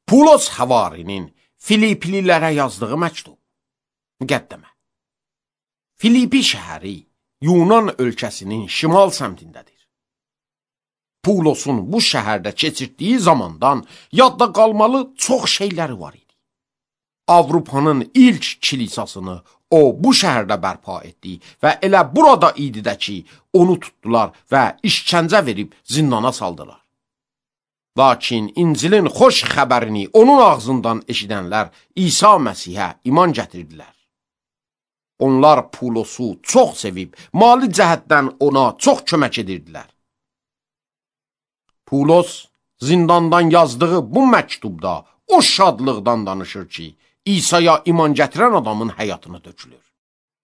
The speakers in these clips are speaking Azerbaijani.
Pulos Həvarinin Filiplilərə yazdığı məktub. Müqəddəmə. Filipi şəhəri Yunan ölkəsinin şimal səmtindədir. Pulosun bu şəhərdə keçirdiyi zamandan yadda qalmalı çox şeyləri var idi. Avropanın ilk kilisasını o bu şəhərdə bərpa etdi və elə burada idi də ki, onu tutdular və işkəncə verib zindana saldılar. Lakin İncilin xoş xəbərini onun ağzından eşidənlər İsa Məsihə iman gətirdilər. Onlar Pulosu çox sevib, mali cəhətdən ona çox kömək edirdilər. Pulos zindandan yazdığı bu məktubda o şadlıqdan danışır ki, İsa'ya iman gətirən adamın həyatına dökülür.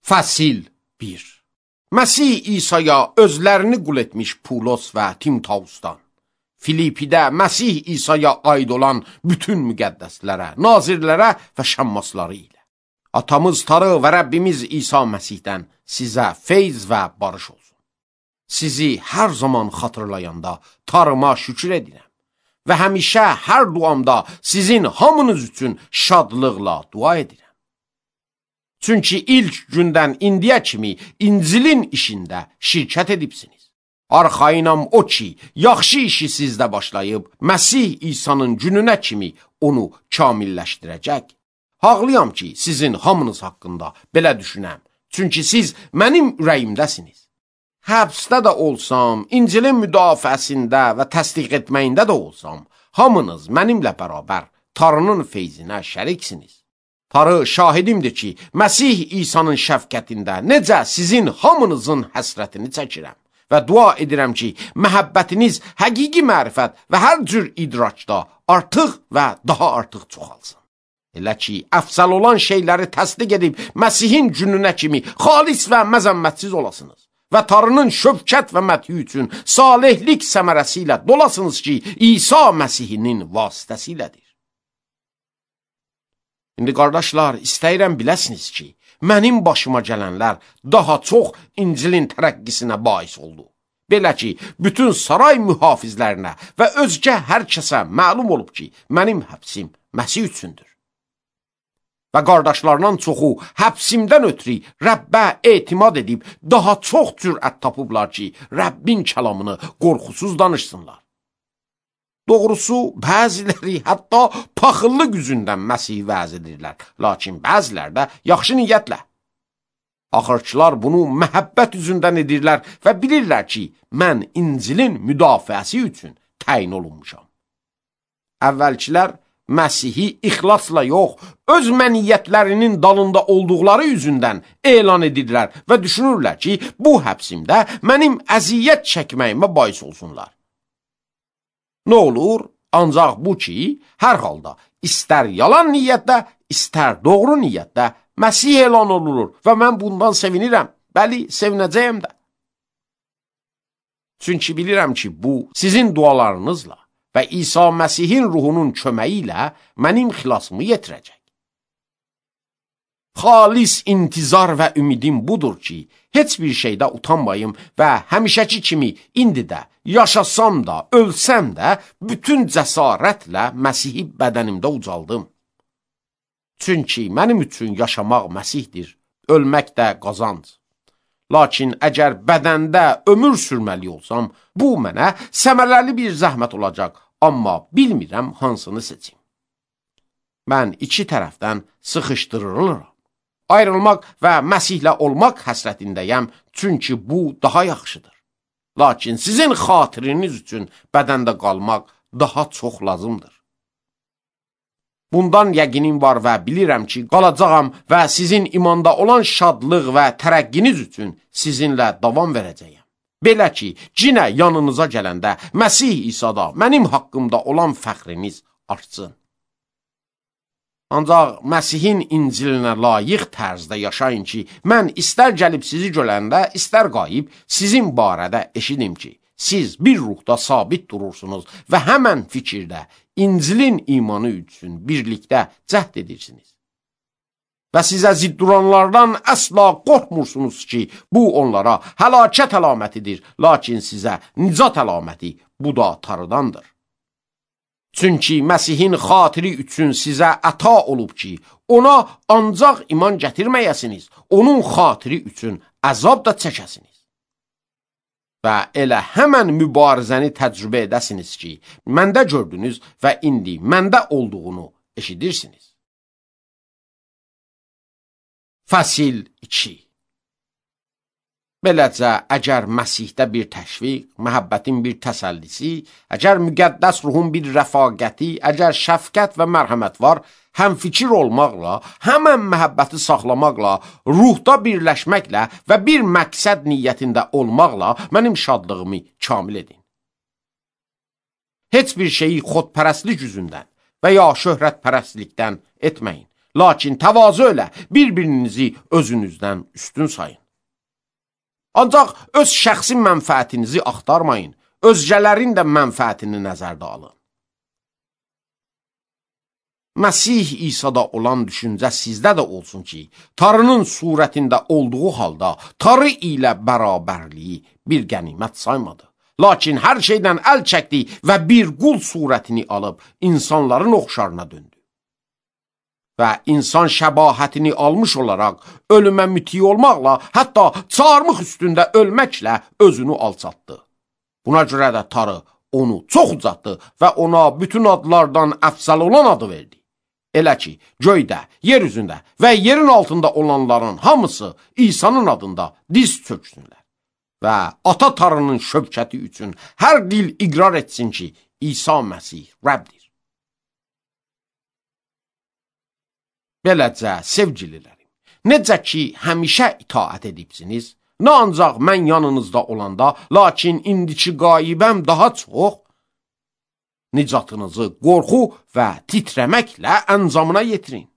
Fəsil 1. Məsih İsa'ya özlərini qul etmiş Pulos və Timtausdan, Filipidə Məsih İsa'ya aid olan bütün müqəddəslərə, nazirlərə və şəmmasları ilə. Atamız Tarı və Rəbbimiz İsa Məsihdən sizə feyz və barış olsun. Sizi hər zaman xatırlayanda Tarıma şükür edirəm və həmişə hər duamda sizin hamınız üçün şadlıqla dua edirəm. Çünki ilk gündən indiyə kimi İncilin işində şirkət edibsiniz. Arxayınam o ki, yaxşı işi sizdə başlayıb, Məsih İsa'nın gününə kimi onu kamilləşdirəcək. Haqlıyam ki, sizin hamınız haqqında belə düşünəm. Çünki siz mənim ürəyimdəsiniz. Həbsdə də olsam, İncilin müdafiəsində və təsdiq etməyində də olsam, hamınız mənimlə bərabər Tarının feyzinə şəriksiniz. Tarı şahidimdir ki, Məsih İsa'nın şəfqətində necə sizin hamınızın həsrətini çəkirəm və dua edirəm ki, məhəbbətiniz həqiqi mərifət və hər cür idrakda artıq və daha artıq çoxalsın. Elə ki, əfsəl olan şeyləri təsdiq edib Məsihin gününə kimi xalis və məzəmmətsiz olasınız və Tarının şövkət və məthi üçün salihlik səmərəsi ilə dolasınız ki, İsa Məsihinin vasitəsilədir. İndi qardaşlar, istəyirəm biləsiniz ki, mənim başıma gələnlər daha çox İncilin tərəqqisinə bais oldu. Belə ki, bütün saray mühafizlərinə və özgə hər kəsə məlum olub ki, mənim həbsim Məsih üçündür. Və qardaşlarından çoxu həbsimdən ötürü Rəbbə etimad edib daha çox cürət tapıblar ki, Rəbbin kəlamını qorxusuz danışsınlar. Doğrusu, bəziləri hətta paxıllıq üzündən Məsih vəz edirlər, lakin bəzilər də yaxşı niyyətlə. Axırçılar bunu məhəbbət üzündən edirlər və bilirlər ki, mən İncilin müdafiəsi üçün təyin olunmuşam. Əvvəlkilər Məsihi ixlasla yox, öz məniyyətlərinin dalında olduqları üzündən elan edirlər və düşünürlər ki, bu həbsimdə mənim əziyyət çəkməyimə bais olsunlar. Nə olur? Ancaq bu ki, hər halda istər yalan niyyətdə, istər doğru niyyətdə Məsih elan olunur və mən bundan sevinirəm, bəli, sevinəcəyəm də. Çünki bilirəm ki, bu sizin dualarınızla və İsa Məsihin ruhunun köməyi ilə mənim xilasımı yetirəcək. Xalis intizar və ümidim budur ki, heç bir şeydə utanmayım və həmişəki kimi indi də, yaşasam da, ölsəm də, bütün cəsarətlə Məsihi bədənimdə ucaldım. Çünki mənim üçün yaşamaq Məsihdir, ölmək də qazanc. Lakin əgər bədəndə ömür sürməli olsam, bu mənə səmərəli bir zəhmət olacaq, amma bilmirəm hansını seçim. Mən iki tərəfdən sıxışdırılıram. Ayrılmaq və Məsihlə olmaq həsrətindəyəm, çünki bu daha yaxşıdır. Lakin sizin xatiriniz üçün bədəndə qalmaq daha çox lazımdır. Bundan yəqinim var və bilirəm ki, qalacağam və sizin imanda olan şadlıq və tərəqqiniz üçün sizinlə davam verəcəyəm. Belə ki, cinə yanınıza gələndə Məsih İsa'da mənim haqqımda olan fəxriniz artsın. Ancaq Məsihin İncilinə layiq tərzdə yaşayın ki, mən istər gəlib sizi görəndə, istər qayıb sizin barədə eşidim ki, siz bir ruhda sabit durursunuz və həmən fikirdə İncilin imanı üçün birlikdə cəhd edirsiniz. Və sizə zidd duranlardan əsla qorxmursunuz ki, bu onlara həlakət əlamətidir, lakin sizə nicat əlaməti bu da Tarıdandır. Çünki Məsihin xatiri üçün sizə əta olub ki, ona ancaq iman gətirməyəsiniz, onun xatiri üçün əzab da çəkəsiniz. Və elə həmən mübarizəni təcrübə edəsiniz ki, məndə gördünüz və indi məndə olduğunu eşidirsiniz. Fəsil 2. Beləcə, əgər Məsihdə bir təşviq, məhəbbətin bir təsəllisi, əgər müqəddəs ruhun bir rəfaqəti, əgər şəfqət və mərhəmət var, həm fikir olmaqla, həmən məhəbbəti saxlamaqla, ruhda birləşməklə və bir məqsəd niyyətində olmaqla mənim şadlığımı kamil edin. Heç bir şeyi xodpərəstlik üzündən və ya şöhrətpərəstlikdən etməyin, lakin təvazö ilə bir-birinizi özünüzdən üstün sayın. Ancaq öz şəxsi mənfəətinizi axtarmayın, özgələrin də mənfəətini nəzərdə alın. Məsih İsa'da olan düşüncə sizdə də olsun ki, Tanrının surətində olduğu halda Tanrı ilə bərabərliyi bir qənimət saymadı. Lakin hər şeydən əl çəkdi və bir qul surətini alıb insanların oxşarına döndü. Və insan şəbahətini almış olaraq ölümə müti olmaqla, hətta çarmıx üstündə ölməklə özünü alçatdı. Buna görə də Tanrı onu çox ucaltdı və ona bütün adlardan əfzəl olan adı verdi. Elə ki, göydə, yer üzündə və yerin altında olanların hamısı İsa'nın adında diz çöksünlər. Və Ata Tanrının şövkəti üçün hər dil iqrar etsin ki, İsa Məsih Rəbdir. Beləcə, sevgililərim, necə ki, həmişə itaət edibsiniz, nə ancaq mən yanınızda olanda, lakin indiki qaibəm daha çox, nicatınızı qorxu və titrəməklə əncamına yetirin.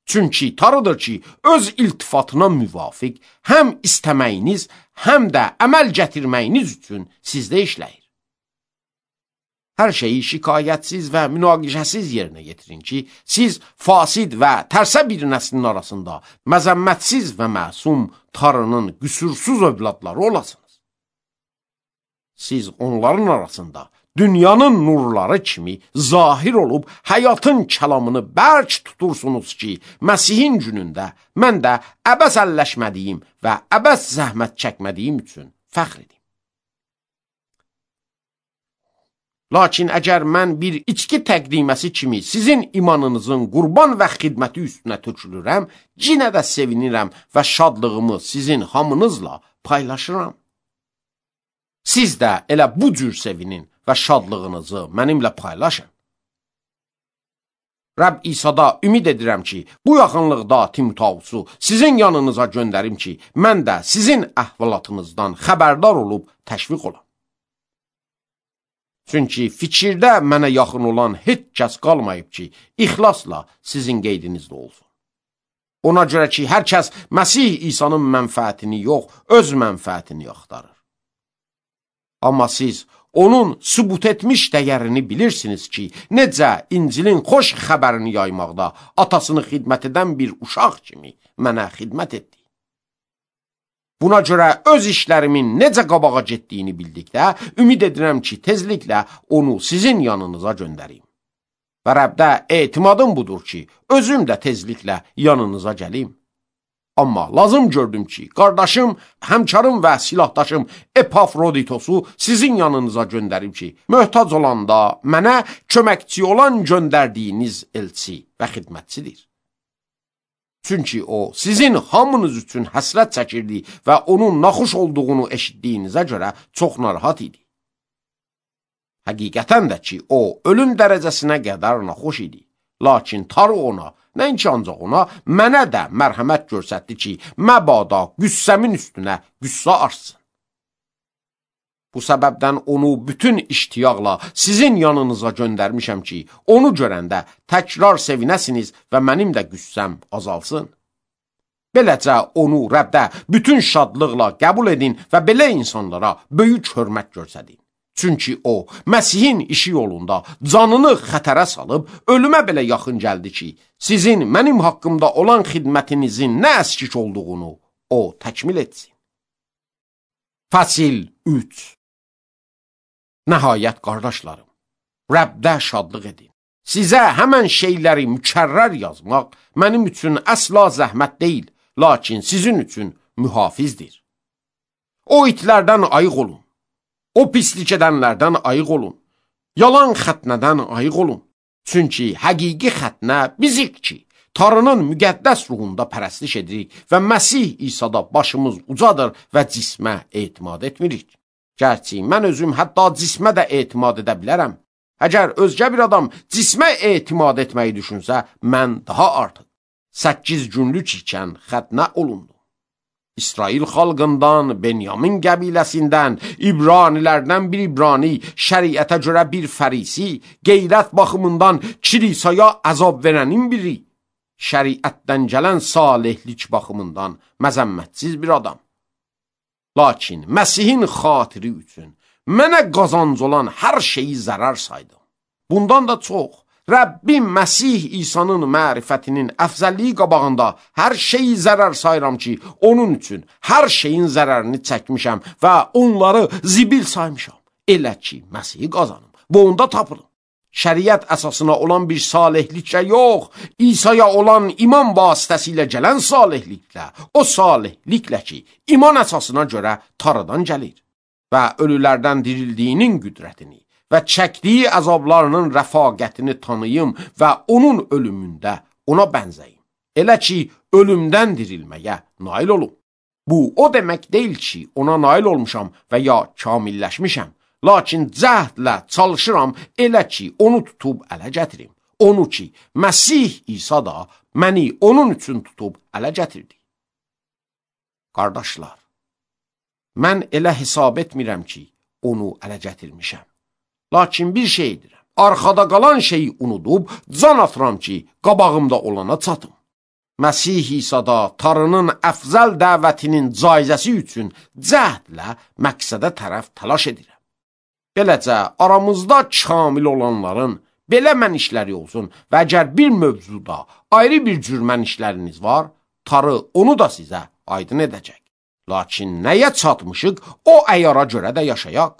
Çünki Tanrıdır ki, öz iltifatına müvafiq həm istəməyiniz, həm də əməl gətirməyiniz üçün sizdə işləyir. Hər şeyi şikayətsiz və münaqişəsiz yerinə yetirin ki, siz fasid və tərsə bir nəslin arasında məzəmmətsiz və məsum Tanrının qüsursuz övladları olasınız. Siz onların arasında dünyanın nurları kimi zahir olub həyatın kəlamını bərk tutursunuz ki, Məsihin günündə mən də əbəs əlləşmədiyim və əbəs zəhmət çəkmədiyim üçün fəxr edim. Lakin əgər mən bir içki təqdiməsi kimi sizin imanınızın qurban və xidməti üstünə tökülürəm, yenə də sevinirəm və şadlığımı sizin hamınızla paylaşıram. Siz də elə bu cür sevinin və şadlığınızı mənimlə paylaşın. Rəbb İsa'da ümid edirəm ki, bu yaxınlıqda Timotausu sizin yanınıza göndərim ki, mən də sizin əhvalatınızdan xəbərdar olub təşviq olam. Çünki fikirdə mənə yaxın olan heç kəs qalmayıb ki, ixlasla sizin qeydinizdə olsun. Ona görə ki, hər kəs Məsih İsa'nın mənfəətini yox, öz mənfəətini axtarır. Amma siz onun sübut etmiş dəyərini bilirsiniz ki, necə İncilin xoş xəbərini yaymaqda atasını xidmət edən bir uşaq kimi mənə xidmət etdi. Buna görə öz işlərimin necə qabağa getdiyini bildikdə, ümid edirəm ki, tezliklə onu sizin yanınıza göndərim. Və Rəbdə etimadım budur ki, özüm də tezliklə yanınıza gəlim. Amma lazım gördüm ki, qardaşım, həmkarım və silahdaşım Epafroditosu sizin yanınıza göndərim ki, möhtac olanda mənə köməkçi olan göndərdiyiniz elçi və xidmətçidir. Çünki o, sizin hamınız üçün həsrət çəkirdi və onun naxuş olduğunu eşitdiyinizə görə çox narahat idi. Həqiqətən də ki, o, ölüm dərəcəsinə qədər naxuş idi. Lakin Tanrı ona, nəinki ancaq ona, mənə də mərhəmət göstərdi ki, məbada qüssəmin üstünə qüssə artsın. Bu səbəbdən onu bütün iştiyaqla sizin yanınıza göndərmişəm ki, onu görəndə təkrar sevinəsiniz və mənim də qüssəm azalsın. Beləcə onu Rəbdə bütün şadlıqla qəbul edin və belə insanlara böyük hörmət göstərin. Çünki o, Məsihin işi yolunda canını xətərə salıb, ölümə belə yaxın gəldi ki, sizin mənim haqqımda olan xidmətinizin nə əskik olduğunu o təkmil etsin. Fəsil 3. Nəhayət, qardaşlarım, Rəbdə şadlıq edin. Sizə həmən şeyləri mükərrər yazmaq mənim üçün əsla zəhmət deyil, lakin sizin üçün mühafizdir. O itlərdən ayıq olun. O pislik edənlərdən ayıq olun. Yalan xətnədən ayıq olun. Çünki həqiqi xətnə bizik ki, Tanrının müqəddəs ruhunda pərəstiş edirik və Məsih İsa'da başımız ucadır və cismə etimad etmirik. Gərçi mən özüm hətta cismə də etimad edə bilərəm. Əgər özgə bir adam cismə etimad etməyi düşünsə, mən daha artıq 8 günlük ikən xətnə olundu. İsrail xalqından, Benyamin qəbiləsindən, İbranilərdən bir İbrani, şəriətə görə bir fərisi, qeyrət baxımından kilisaya əzab verənin biri, şəriətdən gələn salihlik baxımından məzəmmətsiz bir adam. Lakin Məsihin xatiri üçün mənə qazanc olan hər şeyi zərər saydım. Bundan da çox, Rəbbim Məsih İsa'nın mərifətinin əfzəlliyi qabağında hər şeyi zərər sayıram ki, onun üçün hər şeyin zərərini çəkmişəm və onları zibil saymışam. Elə ki, Məsihi qazanım, bu onda tapılım. Şəriət əsasına olan bir salihliklə yox, İsa'ya olan iman vasitəsilə gələn salihliklə, o salihliklə ki, iman əsasına görə Tanrıdan gəlir və ölülərdən dirildiyinin qüdrətini və çəkdiyi əzablarının rəfaqətini tanıyım və onun ölümündə ona bənzəyim. Elə ki, ölümdən dirilməyə nail olum. Bu, o demək deyil ki, ona nail olmuşam və ya kamilləşmişəm. Lakin cəhdlə çalışıram elə ki, onu tutub ələ gətirim. Onu ki, Məsih İsa da məni onun üçün tutub ələ gətirdi. Qardaşlar, mən elə hesab etmirəm ki, onu ələ gətirmişəm. Lakin bir şey edirəm, arxada qalan şeyi unudub, can atıram ki, qabağımda olana çatım. Məsih İsa'da Tanrının əfzəl dəvətinin caizəsi üçün cəhdlə məqsədə tərəf təlaş edirəm. Beləcə, aramızda kamil olanların belə mənişləri olsun və əgər bir mövzuda ayrı bir cür mənişləriniz var, Tanrı onu da sizə aydın edəcək. Lakin nəyə çatmışıq, o əyara görə də yaşayaq.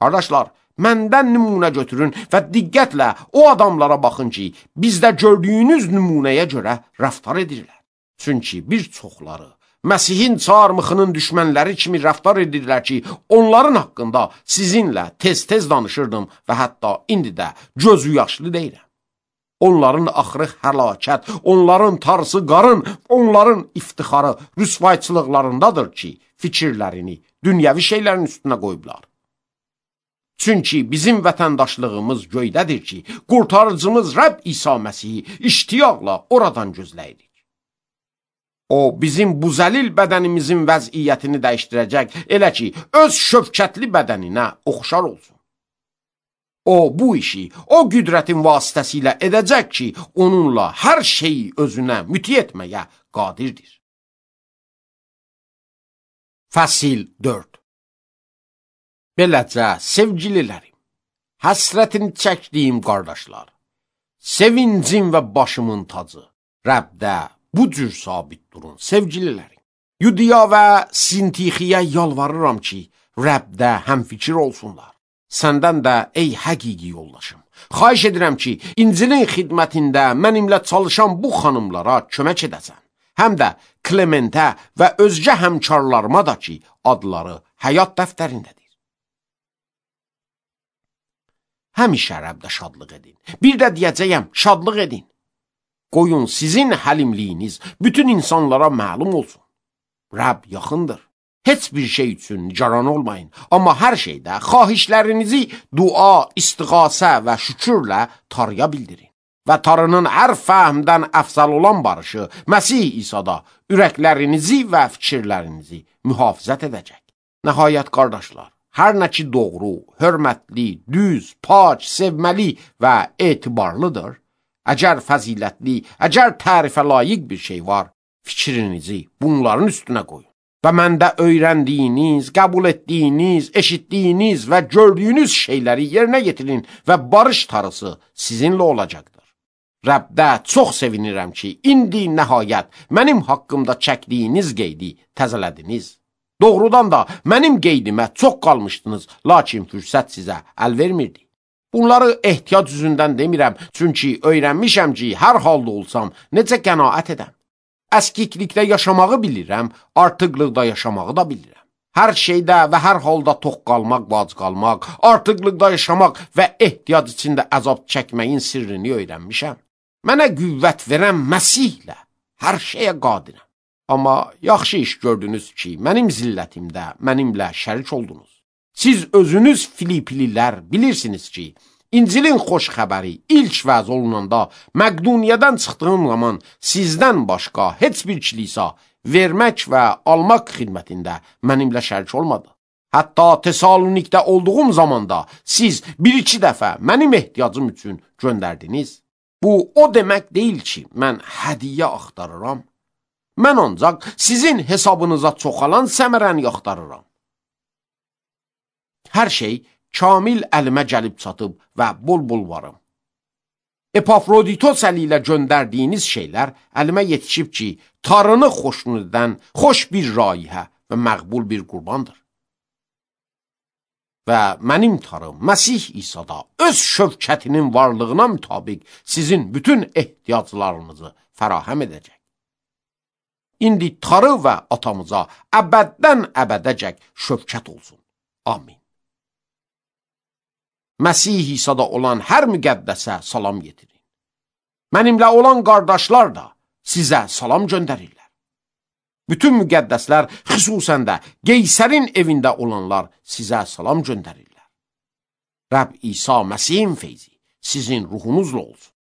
Qardaşlar, məndən nümunə götürün və diqqətlə o adamlara baxın ki, bizdə gördüyünüz nümunəyə görə rəftar edirlər. Çünki bir çoxları Məsihin çarmıxının düşmənləri kimi rəftar edirlər ki, onların haqqında sizinlə tez-tez danışırdım və hətta indi də gözü yaşlı deyirəm. Onların axırı həlakət, onların tarısı qarın, onların iftixarı rüsvayçılıqlarındadır ki, fikirlərini dünyəvi şeylərin üstünə qoyublar. Çünki bizim vətəndaşlığımız göydədir ki, qurtarıcımız Rəbb İsa Məsihi iştiyaqla oradan gözləyirik. O, bizim bu zəlil bədənimizin vəziyyətini dəyişdirəcək, elə ki, öz şövkətli bədəninə oxşar olsun. O, bu işi, o qüdrətin vasitəsilə edəcək ki, onunla hər şeyi özünə müti etməyə qadirdir. Fəsil 4. Beləcə, sevgililərim, həsrətini çəkdiyim qardaşlar, sevincim və başımın tacı, Rəbdə bu cür sabit durun, sevgililərim. Yudiya və Sintixiyə yalvarıram ki, Rəbdə həmfikir olsunlar. Səndən də, ey həqiqi yoldaşım, xahiş edirəm ki, İncilin xidmətində mənimlə çalışan bu xanımlara kömək edəsən. Həm də Klementə və özgə həmkarlarıma da ki, adları həyat dəftərindədir. Həmişə Rəbdə şadlıq edin. Bir də deyəcəyəm, şadlıq edin. Qoyun sizin həlimliyiniz bütün insanlara məlum olsun. Rəbb yaxındır. Heç bir şey üçün nigaran olmayın. Amma hər şeydə xahişlərinizi dua, istiğasə və şükürlə Tanrıya bildirin. Və Tanrının hər fəhmdən əfzəl olan barışı Məsih İsa'da ürəklərinizi və fikirlərinizi mühafizət edəcək. Nəhayət qardaşlar, hər nə ki doğru, hörmətli, düz, pac, sevməli və etibarlıdır, əgər fəzilətli, əgər tərifə layiq bir şey var, fikrinizi bunların üstünə qoyun. Və məndə öyrəndiyiniz, qəbul etdiyiniz, eşitdiyiniz və gördüyünüz şeyləri yerinə yetirin və barış tarısı sizinlə olacaqdır. Rəbdə çox sevinirəm ki, indi nəhayət mənim haqqımda çəkdiyiniz qeydi təzələdiniz. Doğrudan da mənim qeydimə çox qalmışdınız, lakin fürsət sizə əl vermirdi. Bunları ehtiyac üzündən demirəm, çünki öyrənmişəm ki, hər halda olsam, necə qənaət edəm. Əskiklikdə yaşamağı bilirəm, artıqlıqda yaşamağı da bilirəm. Hər şeydə və hər halda tox qalmaq, vac qalmaq, artıqlıqda yaşamaq və ehtiyac içində əzab çəkməyin sirrini öyrənmişəm. Mənə qüvvət verən Məsihlə hər şeyə qadirəm. Amma yaxşı iş gördünüz ki, mənim zillətimdə mənimlə şərik oldunuz. Siz özünüz Filiplilər bilirsiniz ki, İncilin xoş xəbəri ilk vəz olunanda Məqduniyadan çıxdığım zaman sizdən başqa heç bir kilisa vermək və almaq xidmətində mənimlə şərik olmadı. Hətta Tesalonikdə olduğum zamanda siz bir-iki dəfə mənim ehtiyacım üçün göndərdiniz. Bu o demək deyil ki, mən hədiyyə axtarıram. Mən ancaq sizin hesabınıza çoxalan səmərəni axtarıram. Hər şey kamil əlimə gəlib çatıb və bol-bol varım. Epafroditos əli ilə göndərdiyiniz şeylər əlimə yetişib ki, tarını xoşnud edən xoş bir raihə və məqbul bir qurbandır. Və mənim tarım Məsih İsa'da öz şövkətinin varlığına mütabiq sizin bütün ehtiyaclarınızı fərahəm edəcək. İndi tarı və atamıza əbəddən əbədəcək şövkət olsun. Amin. Məsih İsa'da olan hər müqəddəsə salam getirin. Mənimlə olan qardaşlar da sizə salam göndərirlər. Bütün müqəddəslər, xüsusən də Qeysərin evində olanlar sizə salam göndərirlər. Rəbb İsa Məsihin feyzi sizin ruhunuzla olsun.